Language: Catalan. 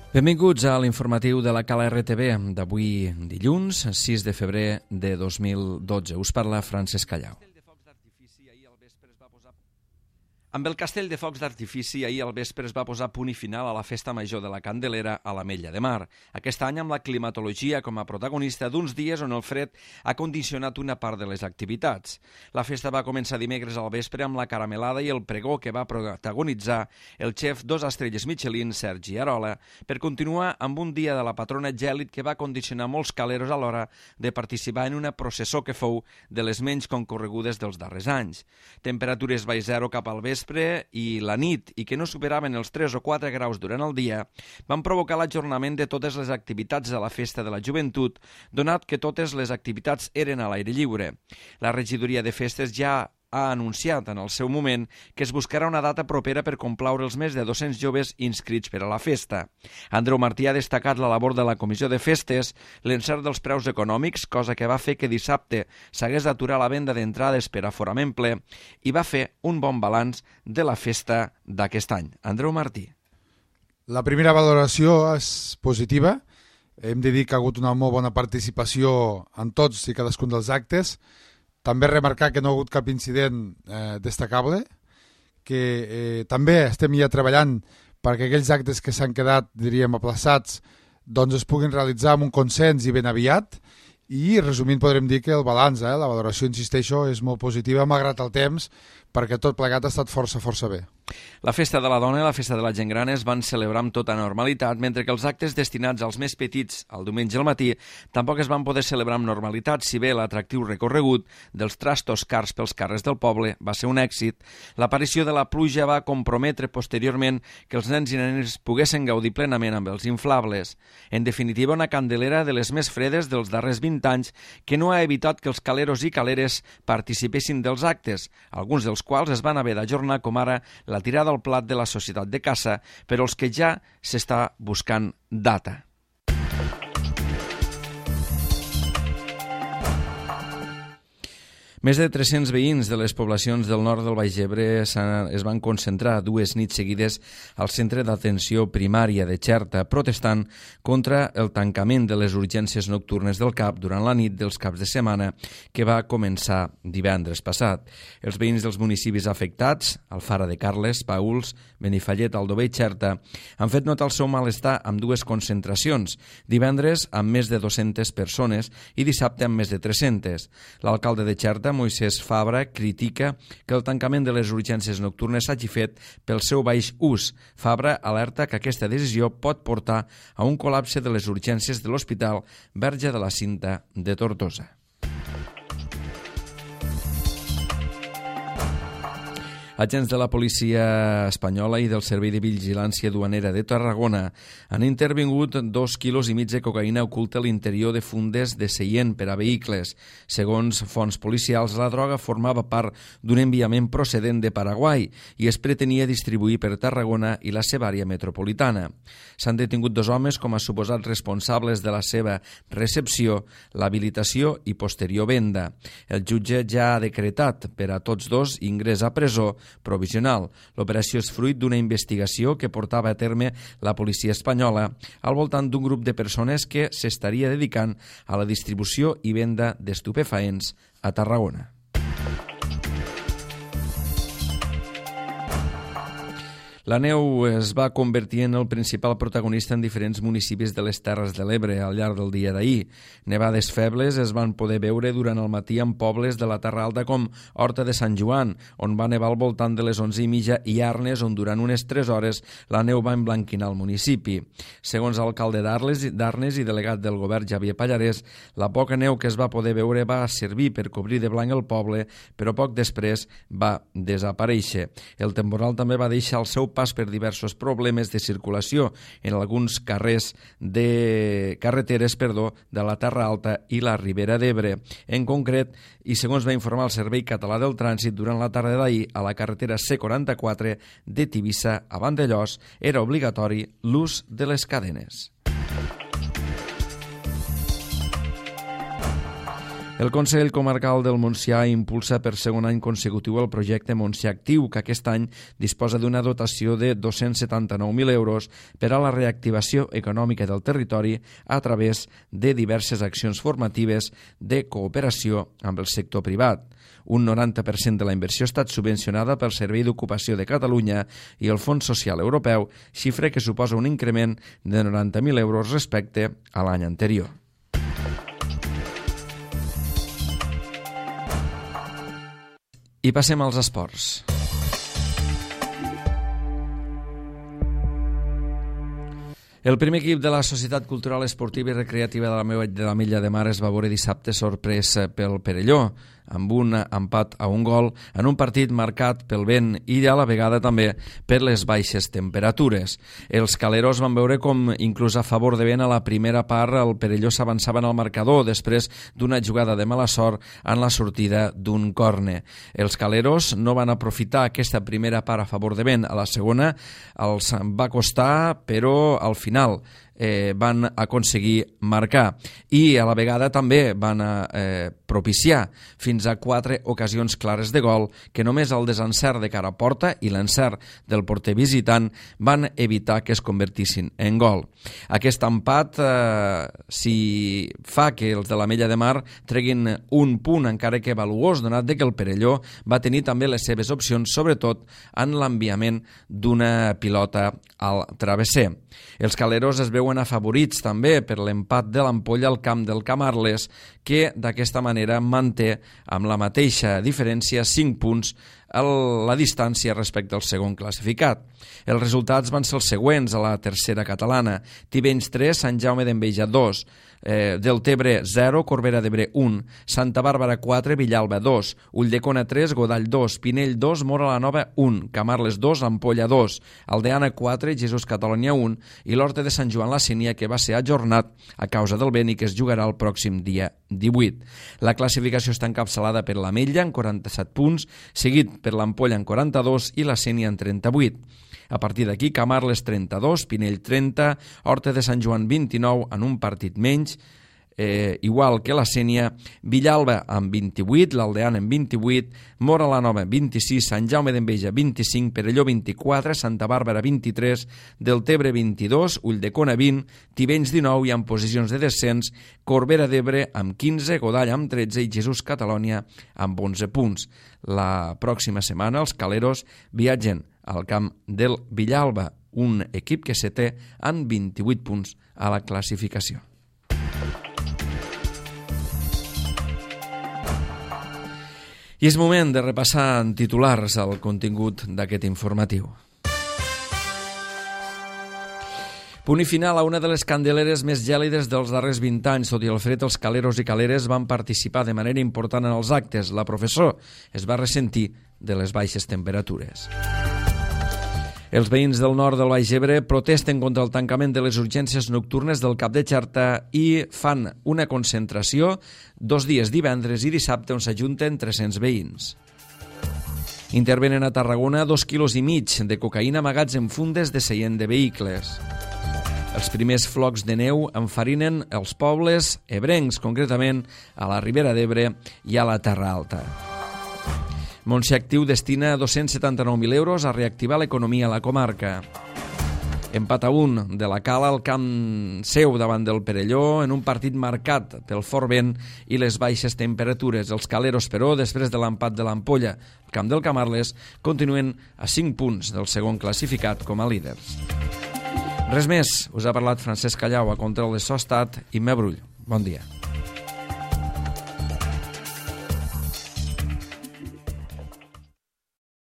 Benvinguts a l'informatiu de la Cala RTV d'avui dilluns, 6 de febrer de 2012. Us parla Francesc Callau. Amb el castell de focs d'artifici, ahir al vespre es va posar punt i final a la festa major de la Candelera a l'Ametlla de Mar. Aquest any amb la climatologia com a protagonista d'uns dies on el fred ha condicionat una part de les activitats. La festa va començar dimecres al vespre amb la caramelada i el pregó que va protagonitzar el xef 2 estrelles Michelin, Sergi Arola, per continuar amb un dia de la patrona gèlid que va condicionar molts caleros a l'hora de participar en una processó que fou de les menys concorregudes dels darrers anys. Temperatures baix zero cap al vespre i la nit i que no superaven els 3 o 4 graus durant el dia van provocar l'ajornament de totes les activitats de la Festa de la Joventut, donat que totes les activitats eren a l'aire lliure. La regidoria de festes ja ha anunciat en el seu moment que es buscarà una data propera per complaure els més de 200 joves inscrits per a la festa. Andreu Martí ha destacat la labor de la Comissió de Festes, l'encert dels preus econòmics, cosa que va fer que dissabte s'hagués d'aturar la venda d'entrades per aforament ple, i va fer un bon balanç de la festa d'aquest any. Andreu Martí. La primera valoració és positiva. Hem de dir que ha hagut una molt bona participació en tots i cadascun dels actes. També remarcar que no ha hagut cap incident destacable, que també estem ja treballant perquè aquells actes que s'han quedat, diríem, aplaçats, doncs es puguin realitzar amb un consens i ben aviat. I, resumint, podrem dir que el balanç, la valoració, insisteixo, és molt positiva, malgrat el temps, perquè tot plegat ha estat força bé. La Festa de la Dona i la Festa de la Gent Gran es van celebrar amb tota normalitat, mentre que els actes destinats als més petits, el diumenge al matí, tampoc es van poder celebrar amb normalitat, si bé l'atractiu recorregut dels trastos cars pels carrers del poble va ser un èxit. L'aparició de la pluja va comprometre posteriorment que els nens i nenes poguessin gaudir plenament amb els inflables. En definitiva, una Candelera de les més fredes dels darrers 20 anys que no ha evitat que els caleros i caleres participessin dels actes, alguns dels quals es van haver d'ajornar, com ara la tirada al plat de la Societat de Caça, però els que ja s'està buscant data. Més de 300 veïns de les poblacions del nord del Baix Ebre es van concentrar 2 nits seguides al centre d'atenció primària de Xerta, protestant contra el tancament de les urgències nocturnes del CAP durant la nit dels caps de setmana que va començar divendres passat. Els veïns dels municipis afectats, Alfara de Carles, Pauls, Benifallet, Aldover i Xerta, han fet notar el seu malestar amb 2 concentracions, divendres amb més de 200 persones i dissabte amb més de 300. L'alcalde de Xerta, Moisès Fabra, critica que el tancament de les urgències nocturnes s'hagi fet pel seu baix ús. Fabra alerta que aquesta decisió pot portar a un col·lapse de les urgències de l'Hospital Verge de la Cinta de Tortosa. Agents de la policia espanyola i del Servei de Vigilància Duanera de Tarragona han intervingut 2,5 quilos de cocaïna oculta a l'interior de fundes de seient per a vehicles. Segons fonts policials, la droga formava part d'un enviament procedent de Paraguai i es pretenia distribuir per Tarragona i la seva àrea metropolitana. S'han detingut 2 homes com a suposats responsables de la seva recepció, l'habilitació i posterior venda. El jutge ja ha decretat per a tots 2 ingrés a presó provisional. L'operació és fruit d'una investigació que portava a terme la policia espanyola al voltant d'un grup de persones que s'estaria dedicant a la distribució i venda d'estupefaents a Tarragona. La neu es va convertir en el principal protagonista en diferents municipis de les Terres de l'Ebre al llarg del dia d'ahir. Nevades febles es van poder veure durant el matí en pobles de la Terra Alta com Horta de Sant Joan, on va nevar al voltant de les 11:30, i Arnes, on durant unes 3 hores la neu va emblanquinar el municipi. Segons l'alcalde d'Arnes i delegat del govern Javier Pallarès, la poca neu que es va poder veure va servir per cobrir de blanc el poble, però poc després va desaparèixer. El temporal també va deixar el seu pas per diversos problemes de circulació en alguns carreteres de la Terra Alta i la Ribera d'Ebre. En concret, i segons va informar el Servei Català del Trànsit, durant la tarda d'ahir a la carretera C44 de Tivissa a Vandellòs era obligatori l'ús de les cadenes. El Consell Comarcal del Montsià impulsa per segon any consecutiu el projecte Montsià Actiu, que aquest any disposa d'una dotació de 279.000 euros per a la reactivació econòmica del territori a través de diverses accions formatives de cooperació amb el sector privat. Un 90% de la inversió ha estat subvencionada pel Servei d'Ocupació de Catalunya i el Fons Social Europeu, xifra que suposa un increment de 90.000 euros respecte a l'any anterior. I passem als esports. El primer equip de la Societat Cultural Esportiva i Recreativa de la Mella de Mar es va veure dissabte sorprès pel Perelló, amb un empat a un gol en un partit marcat pel vent i a la vegada també per les baixes temperatures. Els caleros van veure com, inclús a favor de vent, a la primera part el Perelló s'avançava en el marcador després d'una jugada de mala sort en la sortida d'un córner. Els caleros no van aprofitar aquesta primera part a favor de vent. A la segona els va costar, però al final van aconseguir marcar i a la vegada també van propiciar fins a 4 ocasions clares de gol que només el desencert de cara a porta i l'encert del porter visitant van evitar que es convertissin en gol. Aquest empat si fa que els de la Mella de Mar treguin un punt encara que valuós, donat que el Perelló va tenir també les seves opcions, sobretot en l'enviament d'una pilota al travesser. Els caleros es veuen afavorits també per l'empat de l'Ampolla al camp del Camarles, que d'aquesta manera manté amb la mateixa diferència 5 punts la distància respecte al segon classificat. Els resultats van ser els següents a la tercera catalana: Tivenys 3, Sant Jaume d'Enveja 2, Deltebre 0, Corbera d'Ebre 1, Santa Bàrbara 4, Villalba 2, Ulldecona 3, Godall 2, Pinell 2, Móra la Nova 1, Camarles 2, Ampolla 2, Aldeana 4, Jesús Catalunya 1 i l'Horta de Sant Joan la Sínia, que va ser ajornat a causa del vent i que es jugarà el pròxim dia 18. La classificació està encapçalada per l'Ametlla en 47 punts, seguit per l'Ampolla en 42 i la Sínia en 38. A partir d'aquí, Camarles 32, Pinell 30, Horta de Sant Joan 29 en un partit menys, igual que la Sénia, Villalba amb 28, l'Aldeana amb 28, Móra la Nova 26, Sant Jaume d'Enveja 25, Perelló 24, Santa Bàrbara 23, Deltebre 22, Ulldecona 20, Tivenys 19 i en posicions de descens Corbera d'Ebre amb 15, Godall amb 13 i Jesús Catalunya amb 11 punts. La pròxima setmana els caleros viatgen al camp del Villalba, un equip que se té amb 28 punts a la classificació. I és moment de repassar en titulars el contingut d'aquest informatiu. Punt i final a una de les candeleres més gèlides dels darrers 20 anys. Tot i el fred, els caleros i caleres van participar de manera important en els actes. La professor es va ressentir de les baixes temperatures. Els veïns del nord del Baix Ebre protesten contra el tancament de les urgències nocturnes del Cap de Xarta i fan una concentració 2 dies, divendres i dissabte, on s'ajunten 300 veïns. Intervenen a Tarragona 2,5 quilos de cocaïna amagats en fundes de seient de vehicles. Els primers flocs de neu enfarinen els pobles ebrencs, concretament a la Ribera d'Ebre i a la Terra Alta. Montsià Actiu destina 279.000 euros a reactivar l'economia a la comarca. Empat a 1 de la Cala al camp seu davant del Perelló en un partit marcat pel fort vent i les baixes temperatures. Els caleros, però, després de l'empat de l'Ampolla al camp del Camarles, continuen a 5 punts del segon classificat com a líders. Res més, us ha parlat Francesc Callau, a control de so ha estat Imma Brull. Bon dia.